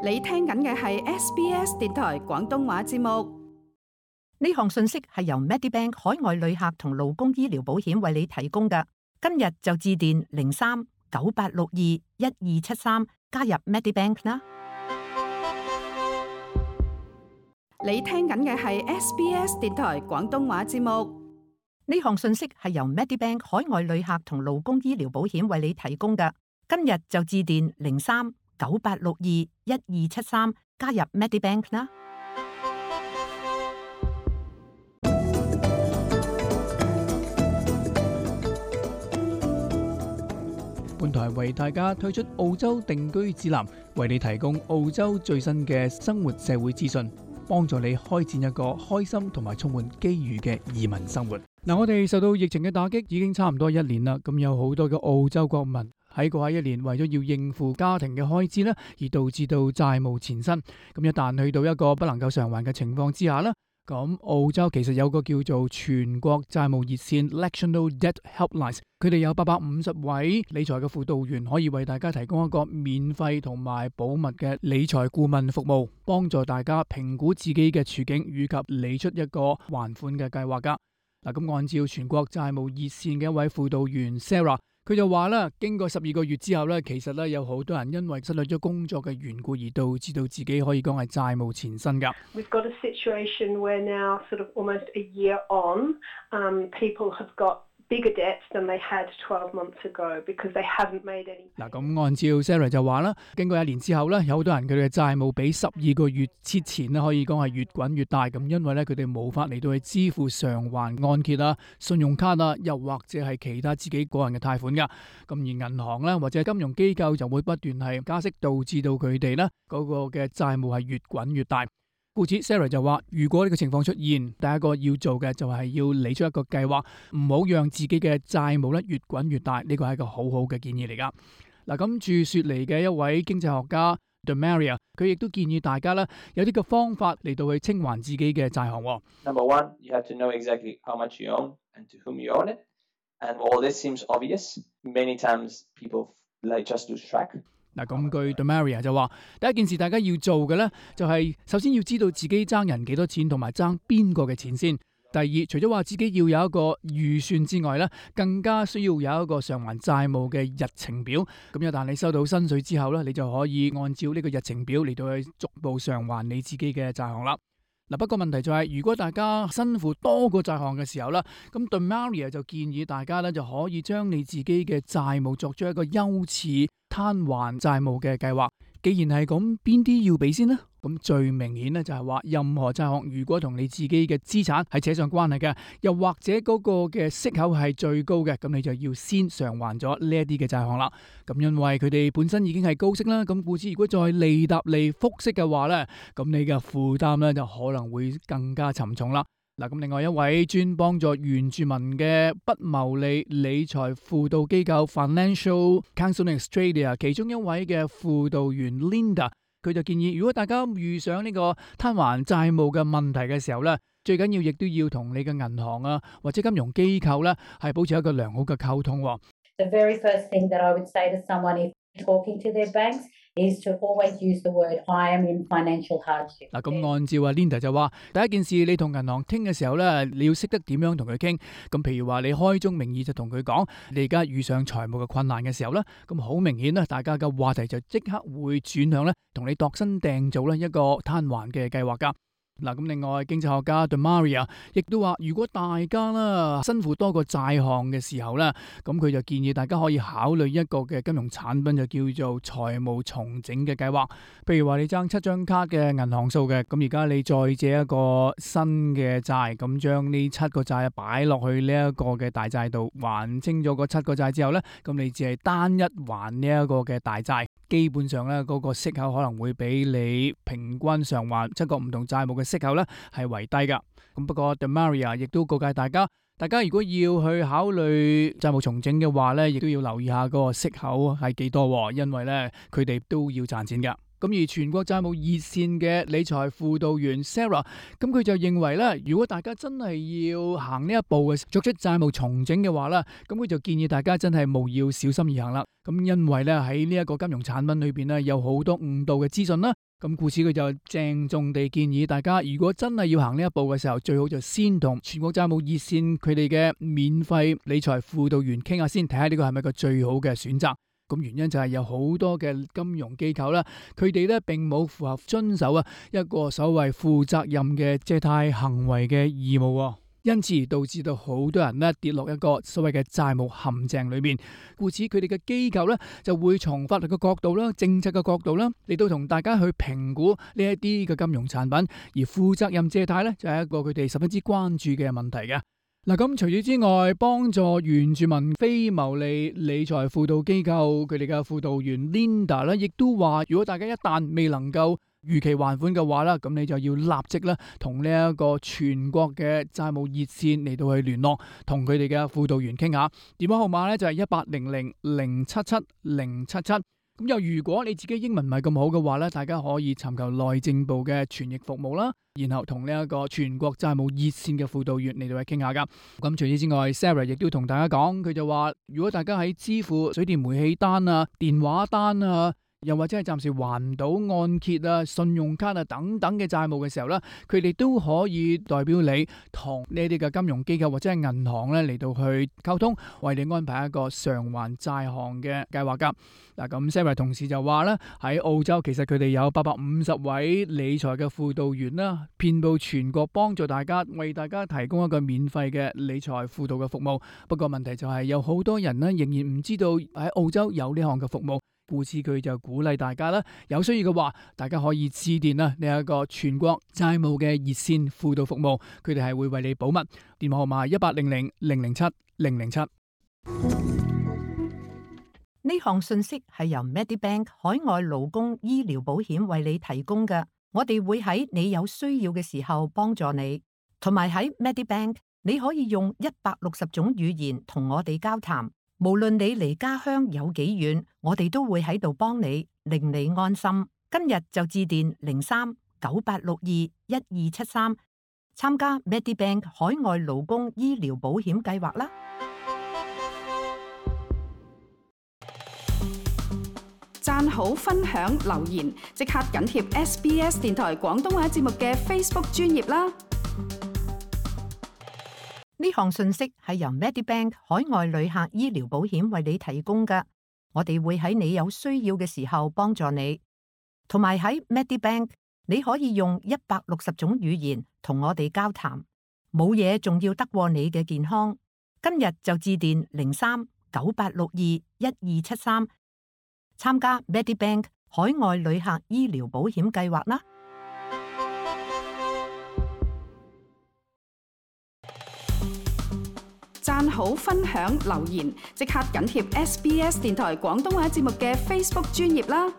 你聽緊嘅係 SBS 電台廣東話節目。呢項信息係由 Medibank 海外旅客同勞工醫療保險為你提供嘅。今日就致電03-9862-1273加入 Medibank 啦。你聽緊嘅係 SBS 電台廣東話節目。呢項信息係由 Medibank 海外旅客同勞工醫療保險為你提供嘅。今日就致電03-9862-1273加入 Medibank 啦。本台為大家推出澳洲定居指南，為你提供澳洲最新嘅生活社會資訊，幫助你開展一個開心同埋充滿機遇嘅移民生活。我哋受到疫情嘅打擊已經差唔多1年啦，咁有好多嘅澳洲國民喺過去1年為咗要應付家庭嘅開支咧，而導致到債務纏身。咁一旦去到一個不能夠償還嘅情況之下咧，咁澳洲其實有個叫做全國債務熱線 National Debt Helpline， 佢哋有850位理財嘅輔導員，可以為大家提供一個免費同埋保密嘅理財顧問服務，幫助大家評估自己嘅處境以及理出一個還款嘅計劃噶。嗱，咁按照全國債務熱線嘅一位輔導員 Sarah，佢就話啦，經過12個月之後咧，其實咧有好多人因為失去咗工作嘅緣故而導致到自己可以講係債務纏身噶。We've got a situation where now, sort of almost a year on, people have got bigger debts than they had 12 months ago because they haven't made any. 嗱，咁按照 Sarah 就話啦，經過1年之後咧，有好多人佢哋嘅債務比12個月之前咧可以講係越滾越大，咁因為咧佢哋冇法嚟到去支付償還按揭啊、信用卡啊，又或者係其他自己個人嘅貸款噶。咁而銀行咧或者金融機構就會不斷係加息，導致到佢哋咧嗰個嘅債務係越滾越大。故此 Sarah 就話，如果呢個情況出現，第一個要做嘅就係要理出一個計劃，唔好讓自己嘅債務咧越滾越大。呢個係一個好好嘅建議嚟噶。嗱，咁駐雪梨嘅一位經濟學家 Demaria， 佢亦都建議大家咧有啲嘅方法嚟到去清還自己嘅債項。Number one, you have to know exactly how much you own and to whom you own it. And all this seems obvious. Many times people like just lose track.嗱，咁據 Demaria 就話，第一件事大家要做嘅咧，就係首先要知道自己爭人幾多錢，同埋爭邊個嘅錢先。第二，除咗話自己要有一個預算之外咧，更加需要有一個償還債務嘅日程表。咁一旦你收到薪水之後咧，你就可以按照呢個日程表嚟到去逐步償還你自己嘅債項啦。嗱，不過問題就係，如果大家身負多個債項嘅時候咧，咁 Demaria 就建議大家咧就可以將你自己嘅債務作出一個優次攤還債務嘅計劃。既然係咁，邊啲要俾先呢？咁最明顯咧就係話，任何債項如果同你自己嘅資產係扯上關係嘅，又或者嗰個嘅息口係最高嘅，咁你就要先償還咗呢一啲嘅債項啦。咁因為佢哋本身已經係高息啦，咁故此如果再利搭利複息嘅話咧，咁你嘅負擔咧就可能會更加沉重啦。嗱，咁另外一位專幫助原住民嘅不牟利理財輔導機構 Financial Counselling Australia 其中一位嘅輔導員 Linda， 佢就建議，如果大家遇上呢個攤還債務嘅問題嘅時候咧，最緊要亦都要同你嘅銀行啊或者金融機構咧係保持一個良好嘅溝通。The very first thing that I would say to someone if talking to their banks is to always use the word I am in financial hardship。嗱，咁按照阿 Linda 就話，第一件事你同銀行傾嘅時候咧，你要識得點樣同佢傾。咁譬如話你開宗明義就同佢講，你而家遇上財務嘅困難嘅時候咧，咁好明顯咧，大家嘅話題就即刻會轉向咧，同你度身訂造咧一個攤還嘅計劃噶。嗱，咁另外經濟學家 Demaria 亦都話，如果大家啦身負多個債項嘅時候咧，咁佢就建議大家可以考慮一個嘅金融產品，就叫做財務重整嘅計劃。譬如話你爭7張卡嘅銀行數嘅，咁而家你再借一個新嘅債，咁將呢7個債擺落去呢一個嘅大債度，還清咗嗰7個債之後咧，咁你只係單一還呢一個嘅大債。基本上咧，嗰個息口可能會比你平均償還7個唔同債務嘅息口咧係為低噶。咁不過 Demaria 亦都告誡大家如果要去考慮債務重整嘅話咧，亦都要留意下嗰個息口係幾多，因為咧佢哋都要賺錢噶。咁而全國債務熱線嘅理財輔導員 Sarah， 咁佢就認為咧，如果大家真係要行呢一步嘅作出債務重整嘅話咧，咁佢就建議大家真係務要小心而行啦。咁因為咧喺呢一個金融產品裏邊咧有好多誤導嘅資訊啦。咁故此佢就鄭重地建議大家，如果真係要行呢一步嘅時候，最好就先同全國債務熱線佢哋嘅免費理財輔導員傾下先，睇下呢個係咪個最好嘅選擇。咁原因就係有好多嘅金融機構啦，佢哋咧並冇符合遵守一個所謂負責任嘅借貸行為嘅義務，因此導致到好多人咧跌落一個所謂嘅債務陷阱裏面。故此佢哋嘅機構咧就會從法律嘅角度啦、政策嘅角度啦嚟到同大家去評估呢一啲嘅金融產品，而負責任借貸咧就係一個佢哋十分之關注嘅問題嘅。嗱，咁除此之外，幫助原住民非牟利理財輔導機構佢哋嘅輔導員 Linda 咧，亦都話，如果大家一旦未能夠逾期還款嘅話啦，咁你就要立即咧同呢一個全國嘅債務熱線嚟到去聯絡，同佢哋嘅輔導員傾下。電話號碼咧就係1800077077。咁又如果你自己英文唔係咁好嘅話咧，大家可以尋求內政部嘅傳譯服務啦，然後同呢一個全國債務熱線嘅輔導員嚟到去傾下噶。咁除此之外 ，Sarah 亦都同大家講，佢就話如果大家喺支付水電煤氣單啊、電話單啊，又或者係暫時還唔到按揭啊、信用卡啊等等嘅債務嘅時候咧，佢哋都可以代表你同呢啲嘅金融機構或者係銀行咧嚟到去溝通，為你安排一個償還債項嘅計劃噶。嗱，咁 Sarah 同時就話咧，喺澳洲其實佢哋有850位理財嘅輔導員啦，遍佈全國，幫助大家，為大家提供一個免費嘅理財輔導嘅服務。不過問題就係有好多人咧仍然唔知道喺澳洲有呢項嘅服務。故此佢就鼓勵大家啦，有需要嘅話，大家可以致電呢一個全國債務嘅熱線輔導服務，佢哋係會為你保密。電話號碼1800-007-007。呢項信息係由 Medibank 海外勞工醫療保險為你提供嘅，我哋會喺你有需要嘅時候幫助你，同埋喺 Medibank 你可以用160種語言同我哋交談。無論你離家鄉有幾遠，我哋都會喺度幫你，令你安心。今日就致電03-9862-1273，參加 Medibank 海外勞工醫療保險計劃啦。讚好、分享、留言，即刻緊貼 SBS 電台廣東話節目嘅 Facebook 專頁啦！呢項信息係由 Medibank 海外旅客醫療保險為你提供嘅，我哋會喺你有需要嘅時候幫助你，同埋喺 Medibank 你可以用160種語言同我哋交談，冇嘢仲要得過你嘅健康。今日就致電03-9862-1273，參加 Medibank 海外旅客醫療保險計劃啦！讚好、分享、留言，即刻緊貼SBS 電台廣東話節目嘅 Facebook 專頁啦！